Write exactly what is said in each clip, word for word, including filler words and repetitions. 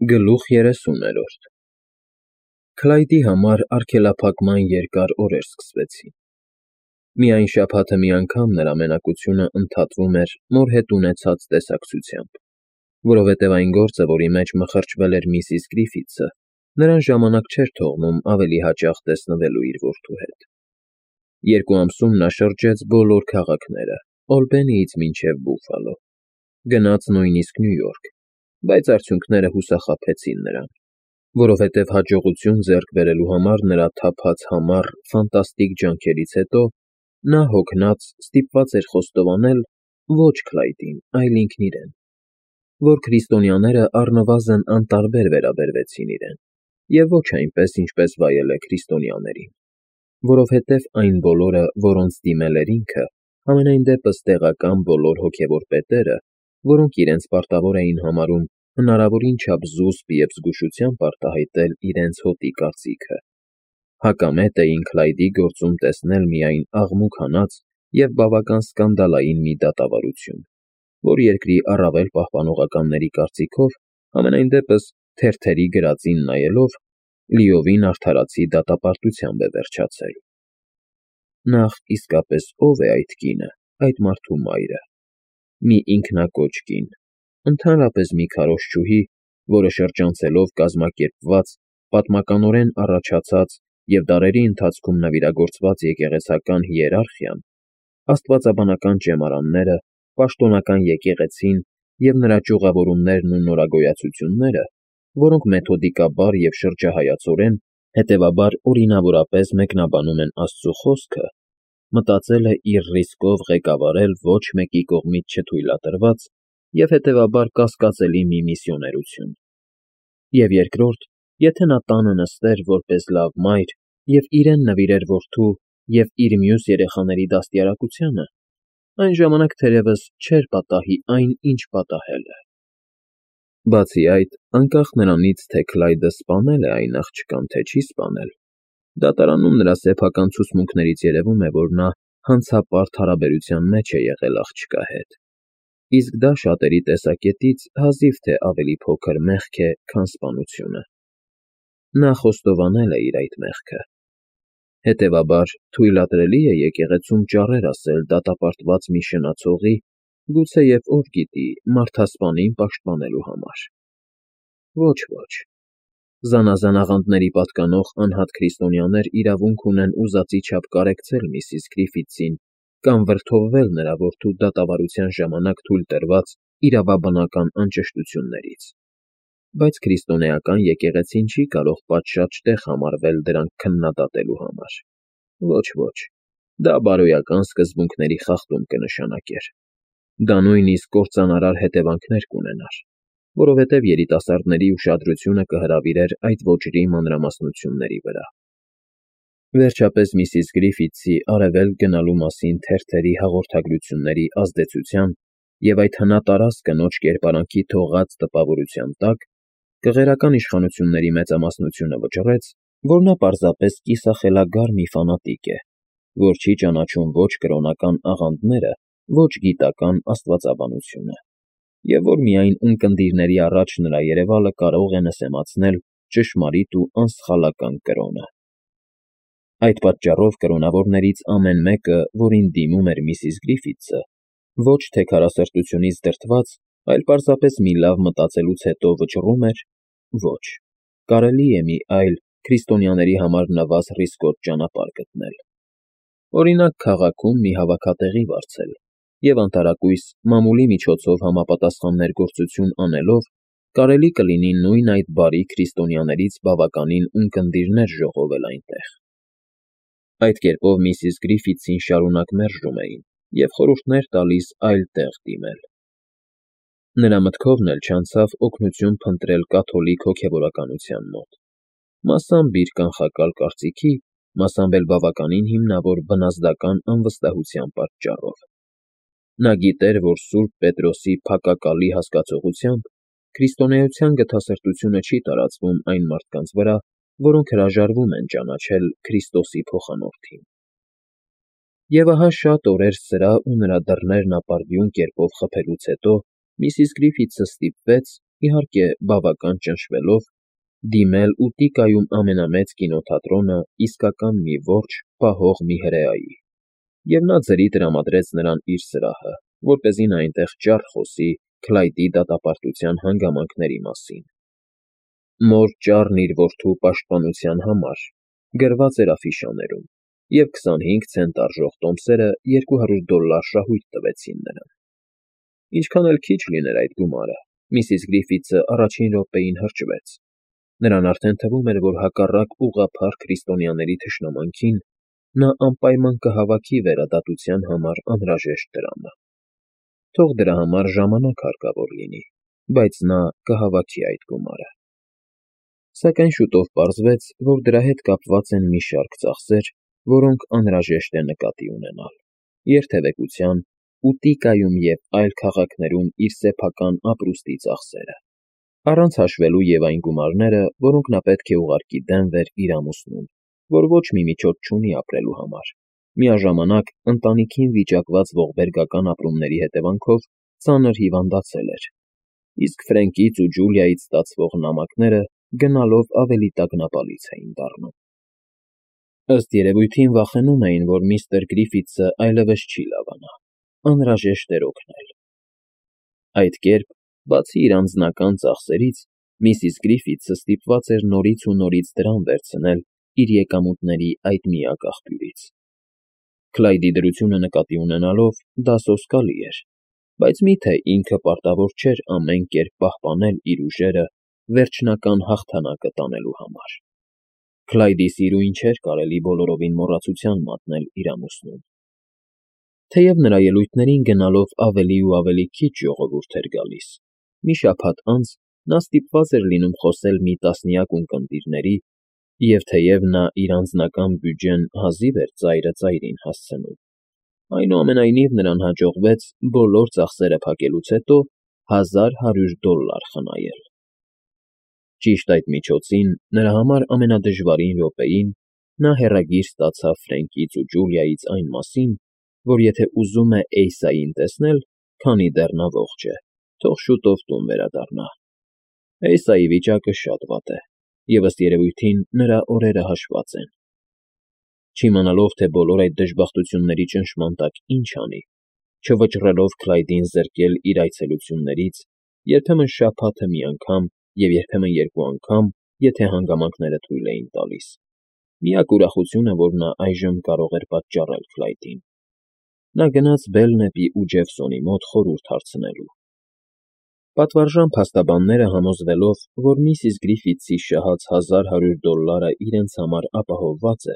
Գլուխ երեսուներորդ Քլայդի համար արգելափակման երկար օրեր սկսվեցին։ Միայն շաբաթը մի անգամ նրա մենակությունը ընդհատվում էր մոր հետ ունեցած տեսակցությամբ, որովհետև այն գործը, որի մեջ մխրճվել էր միսիս Գրիֆիթսը, նրան ժամանակ չէր թողնում ավելի հաճախ տեսնվելու իր որդու հետ։ Երկու ամսում նա շրջեց բոլոր քաղաքները, Օլբենիից մինչև Բուֆալո, գնաց նույնիսկ Նյու Յորք, բայց արդյունքները հուսախաբեցին նրան, որովհետև հաջողություն ձեռք բերելու համար նրա թափած համառ, ֆանտաստիկ ջանքերից հետո նա հոգնած ստիպված էր խոստովանել ոչ Քլայդին, այլ ինքն իրեն, որ քրիստոնյաները առնվազն անտարբեր վերաբերվեցին իրեն, և ոչ այնպես, ինչպես վայել է քրիստոնյաներին, որովհետև այն բոլորը, որոնց դիմել էր ինքը, համենայն դեպս տեղական բոլոր հոգևոր պետերը, որոնք իրենց պարտավոր էին համարում հնարավորին չափ զուսպ և զգուշությամբ արտահայտել իրենց հոտի կարծիքը, հակամետ էին Քլայդի գործում տեսնել միայն աղմուկ հանած և բավական սկանդալային մի դատավարություն, որ երկրի առավել պահպանողականների կարծիքով, համենայն դեպս թերթերի գրածին նայելով, լիովին արդարացի դատապարտությամբ է վերջացել։ Նախ իսկապես ո՞վ է այդ կինը, այդ մարդու մայրը։ Մի ինքնակոչ կին, ընդհանրապես մի քարոզչուհի, որը շրջանցելով կազմակերպված, պատմականորեն առաջացած և դարերի ընթացքում նվիրագործված եկեղեցական հիերարխիան, աստվածաբանական ճեմարանները, պաշտոնական եկեղեցին և նրա ճյուղավորումներն ու նորագոյացությունները, որոնք մեթոդիկաբար և շրջահայացորեն, հետևաբար օրինավորապես մեկնաբանում են Աստծու խոսքը, մտածել է իր ռիսկով ղեկավարել ոչ մեկի կողմից չթույլատրված և հետևաբար կասկածելի մի միսիոներություն, և երկրորդ, եթե նա տանը նստեր որպես լավ մայր և իրեն նվիրեր որդու և իր մյուս երեխաների դաստիարակությանը, այն ժամանակ թերևս չէր պատահի այն, ինչ պատահել է։ Բացի այդ, անկախ նրանից, թե Քլայդը սպանել է այն աղջկան, թե չի սպանել, դատարանում նրա սեփական ցուցմունքներից երևում է, որ նա հանցապարտ հարաբերության մեջ է եղել աղջկա հետ, իսկ դա շատերի տեսակետից հազիվ թե ավելի փոքր մեղք է, քան սպանությունը։ Նա խոստովանել է իր այդ մեղքը։ Հետևաբար, թույլատրելի է եկեղեցում ճառեր ասել դատապարտված մի շնացողի, գուցեև ով գիտի, մարդասպանին պաշտպանելու համար։ Ոչ, ոչ, զանազան աղանդների պատկանող անհատ քրիստոնյաներ իրավունք ունեն ուզածի չափ կարեկցել միսիս Գրիֆիթսին կամ վրդովվել նրա որդու դատավարության ժամանակ թույլ տրված իրավաբանական անճշտություններից, բայց քրիստոնեական եկեղեցին չի կարող պատշաճ տեղ համարվել դրանք քննադատելու համար։ Ոչ, ոչ, դա բարոյական սկզբունքների խախտում կնշանակեր։ Դա նույնիսկ կործանարար հետևանքներ կունենար, որովհետև երիտասարդների ուշադրությունը կհրավիրեր այդ ոճրի մանրամասնությունների վրա։ Վերջապես միսիս Գրիֆիթսի արևելք գնալու մասին թերթերի հաղորդագրությունների ազդեցության և այդ հնատարած կնոջ կերպարանքի թողած տպավորության տակ կղերական իշխանությունների մեծամասնությունը վճռեց, որ նա պարզապես կիսախելագար մի ֆանատիկ է, որ չի ճանաչում ոչ կրոնական աղանդները, ոչ գիտական աստվածաբանությունը, և որ միայն ունկնդիրների առաջ նրա երևալը կարող է նսեմացնել ճշմարիտ ու անսխալական կրոնը։ Այդ պատճառով կրոնավորներից ամեն մեկը, որին դիմում էր միսիս Գրիֆիթսը, ոչ թե քարասրտությունից դրդված, այլ պարզապես մի լավ մտածելուց հետո վճռում էր. ոչ, կարելի է մի այլ, քրիստոնյաների համար նվազ ռիսկոտ ճանապարհ գտնել։ Օրինակ, քաղաքում մի հավաքատեղի վարձել և անտարակույս մամուլի միջոցով համապատասխան ներգործություն անելով կարելի կլինի նույն այդ բարի քրիստոնյաներից բավականին ունկնդիրներ ժողովել այնտեղ։ Այդ կերպով միսիս Գրիֆիթսին շարունակ մերժում էին և խորհուրդներ տալիս այլ տեղ դիմել։ Նրա մտքովն էլ չանցավ օգնություն փնտրել կաթոլիկ հոգևորականության մոտ, մասամբ իր կանխակալ կարծիքի, մասամբ էլ բավականին հիմնավոր բնազդական անվստահության պատճառով։ Նա գիտեր, որ Սուրբ Պետրոսի փակակալի հասկացողությամբ քրիստոնեության գթասրտությունը չի տարածվում այն մարդկանց վրա, որոնք հրաժարվում են ճանաչել Քրիստոսի փոխանորդին։ Եվ ահա շատ օրեր սրա ու նրա դռներն ապարդյուն կերպով խփելուց հետո միսիս Գրիֆիթսը ստիպվեց, իհարկե բավական ճնշվելով, դիմել Ուտիկայում ամենամեծ կինոթատրոնը իսկական մի որջ պահող մի հրեայի, և նա ձրի տրամադրեց նրան իր սրահը, որպեսզի նա այնտեղ ճար խոսի Քլայդի դատապարտության հանգամանքների մասին։ Մոր ճառն իր որդու պաշտպանության համար գրված էր աֆիշաներում, և քսանհինգ ցենտ արժող տոմսերը երկու հարյուր դոլլար շահույթ տվեցին նրան։ Ինչքան էլ քիչ լիներ այդ գումարը, միսիս Գրիֆիթսը առաջին րոպեին հրճվեց. նրան արդեն թվում էր, որ հակառակ ուղղափառ քրիստոնյաների թշնամանքին, նա անպայման կհավաքի վերադատության համար անհրաժեշտ դրամը։ Թող դրա համար ժամանակ հարկավոր լինի, բայց նա կհավաքի այդ գումարը։ Սակայն շուտով պարզվեց, որ դրա հետ կապված են մի շարք ծախսեր, որոնք անհրաժեշտ է նկատի ունենալ. երթևեկության, Ուտիկայում և այլ քաղաքներում իր սեփական ապրուստի ծախսերը, առանց հաշվելու և այն գումարները, որոնք նա պետք է ուղարկի Դենվեր իր ամուսնուն, որ ոչ մի միջոց չունի ապրելու համար, միաժամանակ ընտանիքին վիճակված ողբերգական ապրումների հետևանքով ծանր հիվանդացել էր, իսկ Ֆրենկից ու Ջուլիայից ստացվող նամակները գնալով ավելի տագնապալից էին դառնում։ Ըստ երևույթին վախենում էին, որ միստր Գրիֆիթսը այլևս չի լավանա, անհրաժեշտ էր օգնել։ Այդ կերպ, բացի իր անձնական ծախսերից, միսիս Գրիֆիթսը ստիպված էր նորից ու նորից դրամ վերցնել իր եկամուտների այդ միակ աղբյուրից։ Քլայդի դրությունը նկատի ունենալով դա սոսկալի էր, բայց մի՞թե ինքը պարտավոր չէր ամեն կերպ պահպանել իր ուժերը վերջնական հաղթանակը տանելու համար։ Քլայդի սիրուն չէր կարելի բոլորովին մոռացության մատնել իր ամուսնուն։ Թեև նրա ելույթներին գնալով ավելի ու ավելի քիչ ժողովուրդ էր գալիս, մի շաբաթ անց նա ստիպված էր լինում խոսել մի տասնյակ ունկնդիրների, և թեև նա իր անձնական բյուջեն հազիվ էր ծայրը ծայրին հասցնում, այնուամենայնիվ նրան հաջողվեց բոլոր ծախսերը փակելուց հետո հազար հարյուր դոլլար խնայել։ Ճիշտ այդ միջոցին, նրա համար ամենադժվարին րոպեին, նա հեռագիր ստացավ Ֆրենկից ու Ջուլիայից այն մասին, որ եթե ուզում է Էյսային տեսնել, քանի դեռ նա ողջ է, թող շուտով տուն վերադառնա։ Էյսայի վիճակը շատ վատ է, և ըստ երևույթին նրա օրերը հաշված են։ Չիմանալով, թե բոլոր այդ դժբախտությունների ճնշման տակ ինչ անի, չվճռելով Քլայդին զրկել իր այցելություններից, երբեմն շաբաթը մի անգամ և երբեմն երկու անգամ, եթե հանգամանքները թույլ էին տալիս, միակ ուրախությունը, որ նա այժմ կարող էր պատճառել Քլայդին, նա գնաց Բելնեպի ու Ջեֆսոնի մոտ խորհուրդ հարցնելու։ Պատվարժան փաստաբանները համոզվելով, որ միսիս Գրիֆիթսի շահած հազար հարյուր դոլլարը իրենց համար ապահովված է,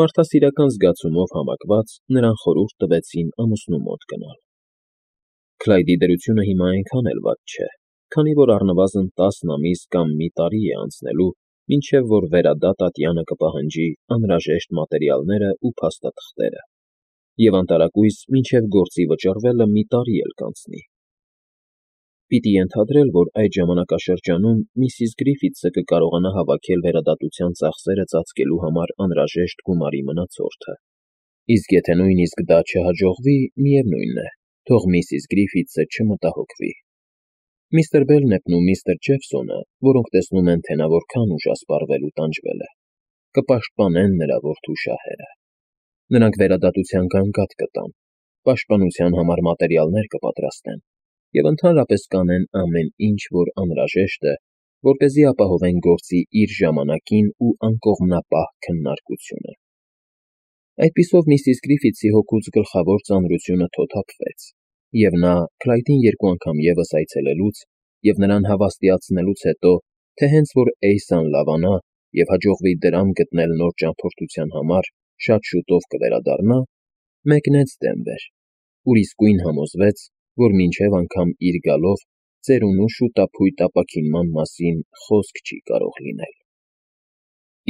մարդասիրական զգացումով հավաքված նրան խորհուրդ տվեցին ամուսնու մոտ գնալ։ Քլայդի դրությունը հիմա այնքան էլ վատ չէ, քանի որ առնվազն տասն ամիս կամ մի տարի է անցնելու, մինչև որ վերադա Տատյանը կպահանջի անհրաժեշտ մատերիալները ու փաստաթղթերը, և անտարակույս մինչև գործի վճռվելը մի տարի էլ կանցնի։ Պիտի ենթադրել, որ այդ ժամանակաշրջանում միսիս Գրիֆիթսը կկարողանա հավաքել վերադատության ծախսերը ծածկելու համար անհրաժեշտ գումարի մնացորդը, իսկ եթե նույնիսկ դա չհաջողվի, միևնույն է, թող միսիս Գրիֆիթսը չմտահոգվի։ Միստր Բելնեպն ու միստր Ջեֆսոնը, որոնք տեսնում են, թե նա որքան ուժ է սպառվել ու տանջվել է, կպաշտպանեն նրա որդու շահերը։ Նրանք վերադատության գանգատ կտան, պաշտպանության համար մատերիալներ կպատրաստեն և ընդհանրապես կանեն ամեն ինչ, որ անհրաժեշտ է, որպեսզի ապահովեն գործի իր ժամանակին ու անկողմնապահ քննարկությունը։ Այդպիսով միսիս Գրիֆիթսի հոգուց գլխավոր ծանրությունը թոթափվեց, և նա Քլայդին երկու անգամ ևս այցելելուց և նրան հավաստիացնելուց հետո, թե հենց որ Էյսան լավանա և հաջողվի դրամ գտնել նոր ճամփորդության համար շատ շուտով կվերադառնա, մեկնեց Դենվեր, ուր իսկույն համոզվեց, որ մինչև անգամ իր գալով ծերունու շուտափույթ ապաքինման մասին խոսք չի կարող լինել։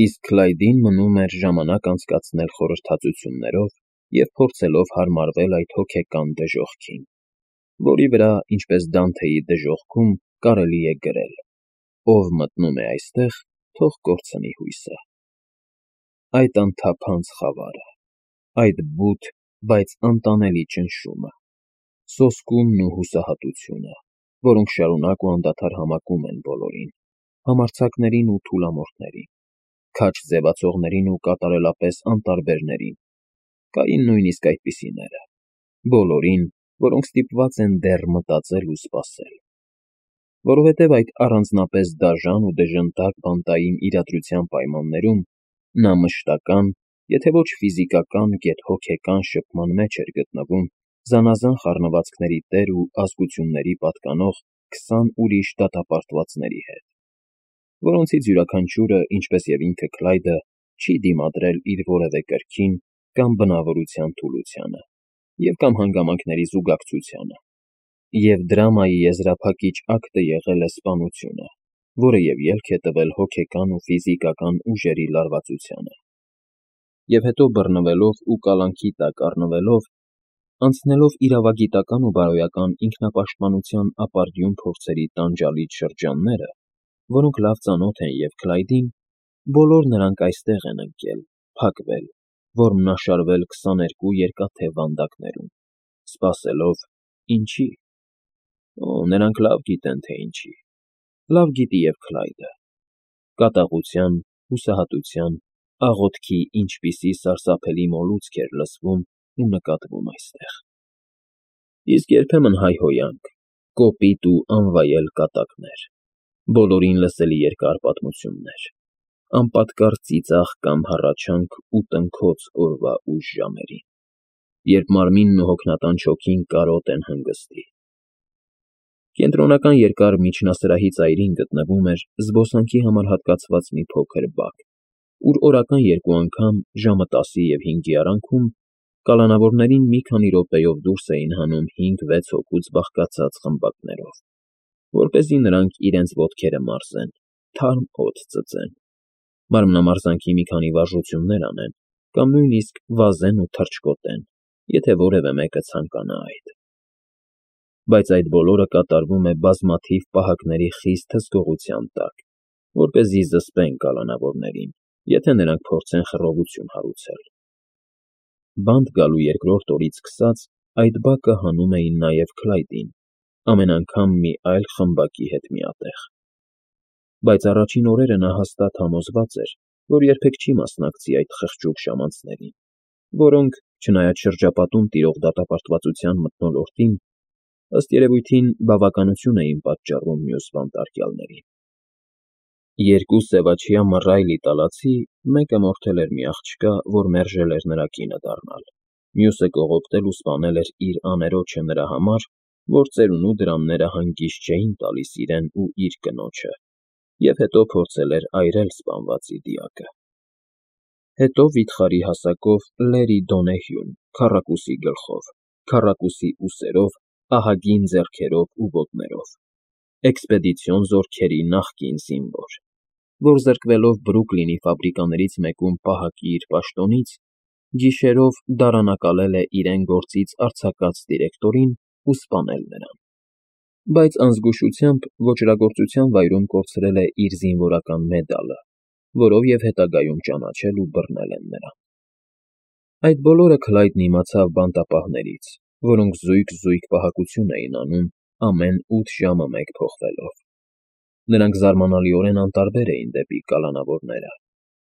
Իսկ Քլայդին մնում էր ժամանակ անցկացնել խորհրդածություններով և փորձելով հարմարվել այդ հոգեկան դժոխքին, որի վրա, ինչպես Դանթեի դժոխքում, կարելի է գրել. «Ով մտնում է այստեղ, թող կորցնի հույսը»։ Այդ անթափանց խավարը, այդ բութ, բայց անտանելի ճնշումը, սոսկումն ու հուսահատությունը, որոնք շարունակ ու անդադար համակում են բոլորին, համարձակներին ու թուլամորթներին, քաջ ձևացողներին ու կատարելապես անտարբերներին, կային նույնիսկ այդպիսիները, բոլորին, որոնք ստիպված են դեռ մտածել ու սպասել, որովհետև այդ առանձնապես դաժան ու դժնդակ բանտային իրադրության պայմաններում նա մշտական, եթե ոչ ֆիզիկական, գեթ հոգեկան շփման մեջ էր գտնվում զանազան խառնվածքների տեր ու ազգությունների պատկանող քսան ուրիշ դատապարտվածների հետ, որոնցից յուրաքանչյուրը, ինչպես և ինքը Քլայդը, չի դիմադրել իր որևէ կրքին կամ բնավորության թուլությանը և կամ հանգամանքների զուգակցությանը, և դրամայի եզրափակիչ ակտը եղել է սպանությունը, որը և ելք է տվել հոգեկան ու ֆիզիկական ուժերի լարվածությանը, և հետո բռնվելով ու կալանքի տակ առնվելով, անցնելով իրավագիտական ու բարոյական ինքնապաշտպանության ապարդյուն փորձերի տանջալից շրջանները, որոնք լավ ծանոթ են և Քլայդին, բոլոր նրանք այստեղ են ընկել, փակվել, որմնաշարվել քսաներկու երկաթե վանդակներում, սպասելով… ինչի՞… Օ՜, նրանք լավ գիտեն, թե ինչի, լավ գիտի և Քլայդը… կատաղության, հուսահատության, աղոթքի ինչպիսի սարսափելի մոլուցք էր լսվում ու նկատվում այստեղ… Իսկ երբեմն հայհոյանք, կոպիտ ու անվայել կատակներ, բոլորին լսելի երկար պատմություններ, անպատկառ ծիծաղ կամ հառաչանք ու տնքոց օրվա ուշ ժամերին, երբ մարմինն ու հոգնածան չոքին կարոտ են հանգստի… Կենտրոնական երկար միջնասրահի ծայրին գտնվում էր զբոսանքի համար հատկացված մի փոքր բակ, ուր օրական երկու անգամ, ժամը տասի և հինգի արանքում, կալանավորներին մի քանի րոպեով դուրս էին հանում հինգ֊վեց հոգուց բաղկացած խմբակներով, որպեսզի նրանք իրենց ոտքերը մարզեն, թարմ օդ ծծեն, մարմնամարզանքի մի քանի վարժություններ անեն կամ նույնիսկ վազեն ու թռչկոտեն, եթե որևէ մեկը ցանկանա այդ… Բայց այդ բոլորը կատարվում է բազմաթիվ պահակների խիստ հսկողության տակ, որպեսզի զսպեն կալանավորներին, եթե նրանք փորձեն խռովություն հարուցել… Բանտ գալու երկրորդ օրից սկսած այդ բակը հանում էին նաև Քլայդին, ամեն անգամ մի այլ խմբակի հետ միատեղ… Բայց առաջին օրերը նա հաստատ համոզված էր, որ երբեք չի մասնակցի այդ խղճուկ ժամանցներին, որոնք, չնայած շրջապատում տիրող դատապարտվածության մթնոլորտին, ըստ երևույթին, բավականություն էին պատճառում մյուս բանտարկյալներին… Երկու սևաչյա մռայլ իտալացի, մեկը մորթել էր մի աղջկա, որ մերժել էր նրա կինը դառնալ, մյուսը կողոպտել ու սպանել էր իր աներոջը նրա համար, որ ծերունու դրամները հանգիստ չէին տալիս իրեն ու իր կնոջը, և հետո փորձել էր այրել սպանվածի դիակը… Հետո վիթխարի հասակով Լերի Դոնեհյուն, քառակուսի գլխով, քառակուսի ուսերով, ահագին ձեռքերով ու ոտներով, էքսպեդիցիոն զորքերի նախկին զինվոր, որ զրկվելով Բրուքլինի ֆաբրիկաներից մեկում պահակի իր պաշտոնից, գիշերով դարանակալել է իրեն գործից արձակած դիրեկտորին ու սպանել նրան, բայց անզգուշությամբ ոճրագործության վայրում կորցրել է իր զինվորական մեդալը, որով և հետագայում ճանաչել ու բռնել են նրան… Այդ բոլորը Քլայդն իմացավ բանտապահներից, որոնք զույգ֊զույգ պահակություն էին անում ամեն ութ ժամը մեկ փոխվելով… Նրանք զարմանալիորեն անտարբեր էին դեպի կալանավորները,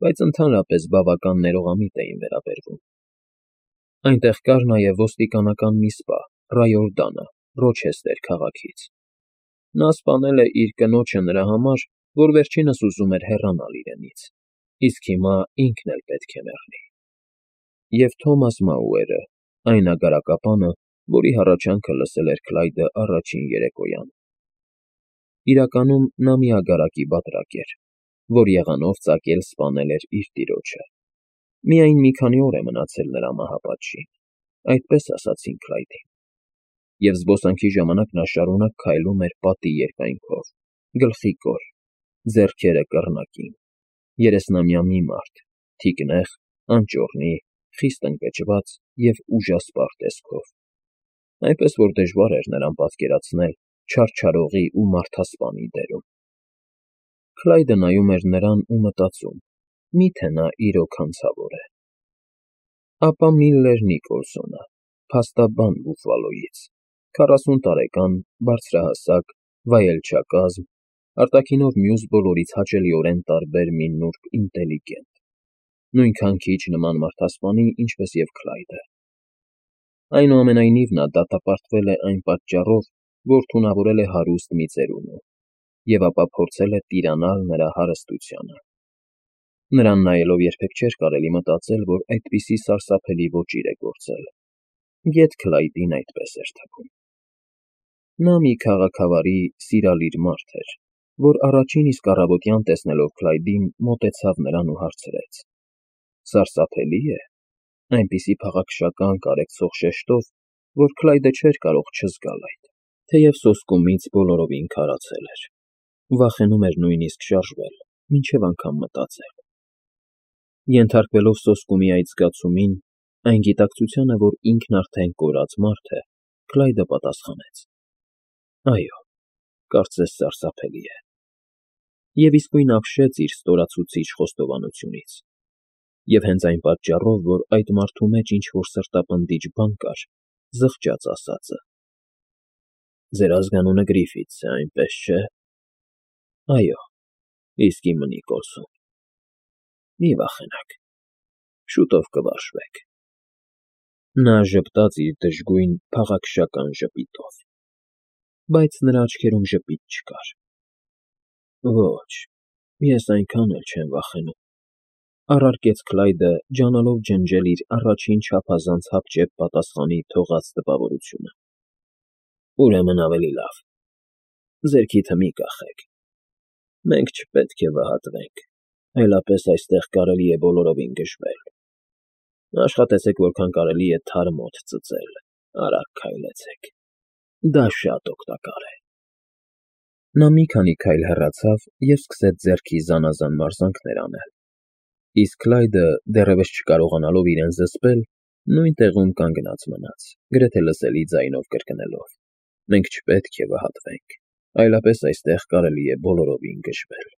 բայց ընդհանրապես բավական ներողամիտ էին վերաբերվում… Այնտեղ կար նաև ոստիկանական մի սպա Ռայորդանը Ռոչեսթեր քաղաքից… Նա սպանել է իր կնոջը նրա համար, որ վերջինս ուզում էր հեռանալ իրենից, իսկ հիմա ինքն էլ պետք է մեռնի… Եվ Թոմաս Մաուերը, այն ագարակապանը, որի հառաչանքը լսել էր Քլայդը առաջին երեկոյան… Իրականում նա մի ագարակի բատրակ էր, որ եղանով ծակել սպանել էր իր տիրոջը… Միայն մի քանի օր է մնացել նրա մահապատժին, այդպես ասացին Քլայդին… Եվ զբոսանքի ժամանակ նա շարունակ քայլում էր պատի երկայնքով, գլխիկոր, ձեռքերը կռնակին, երեսնամյա մի մարդ, թիկնեղ, անճոռնի, խիստ ընկճված և ուժասպառ տեսքով, այնպես որ դժվար էր նրան պատկերացնել չարչարողի ու մարդասպանի դերում… Քլայդը նայում էր նրան ու մտածում. մի՞թե նա իրոք հանցավոր է… Ապա Միլլեր Նիկոլսոնը, փաստաբան Բուֆֆալոյից, քառասուն տարեկան, բարձրահասակ, վայելչակազմ, արտաքինով մյուս բոլորից հաճելիորեն տարբեր մի նուրբ ինտելիգենտ, նույնքան քիչ նման մարդասպանի, ինչպես և Քլայդը։ Այնուամենայնիվ նա դատապարտվել է այն պատճառով, որ թունավորել է հարուստ մի ծերունու, և ապա փորձել է տիրանալ նրա հարստությանը։ Նրան նայելով երբեք չէր կարելի մտածել, որ այդպիսի սարսափելի ոճիր է գործել, գեթ Քլայդին այդպես էր թվում։ Նա մի քաղաքավարի, սիրալիր մարդ էր, որ առաջին իսկ առավոտյան տեսնելով Քլայդին, մոտեցավ նրան ու հարցրեց. «Սարսափելի՞ է»։ Այնպիսի փաղաքշական, կարեկցող շեշտով, որ Քլայդը չէր կարող չզգալ այդ, թեև սոսկումից բոլորովին քարացել էր, վախենում էր նույնիսկ շարժվել, մինչև անգամ մտածել։ Ենթարկվելով սոսկումի այդ զգացումին, այն գիտակցությանը, որ ինքն արդեն կորած մարդ է, Քլայդը պատասխանեց. «Այո, կարծես սարսափելի է»։ Եվ իսկույն ապշեց իր ստորացուցիչ խոստովանությունից։ Եվ հենց այն պատճառով, որ այդ մարդու մեջ ինչ֊որ սրտապնդիչ բան կար, զղջաց ասածը. «Ձեր ազգանունը Գրիֆիթս է, այնպես չէ՞»։ «Այո, իսկ իմը Նիկոլսոն»։ «Մի վախենաք, շուտով կվարժվեք»։ Նա ժպտաց իր դժգույն, փաղաքշական ժպիտով, բայց նրա աչքերում ժպիտ չկար։ «Ոչ, ես այնքան էլ չեմ վախենում», առարկեց Քլայդը, ջանալով ջնջել իր առաջին չափազանց հապճեպ պատասխանի թողած տպավորությունը։ «Ուրեմն ավելի լավ, ձեռքիթը մի կախեք։ Մենք չպետք է վհատվենք, այլապես այստեղ կարելի է բոլորովին գժվել։ Աշխատեցեք որքան կարելի է թարմ օդ ծծել, արագ քայլեցեք, դա շատ օգտակար է»։ Նա մի քանի քայլ հեռացավ և սկսեց ձեռքի զանազան մարզանքներ անել, իսկ Քլայդը, դեռևս չկարողանալով իրեն զսպել, նույն տեղում կանգնած մնաց, գրեթե լսելի ձայնով կրկնելով. «Մենք չպետք է վհատվենք, այլապես այստեղ կարելի է բոլորովին գժվել»։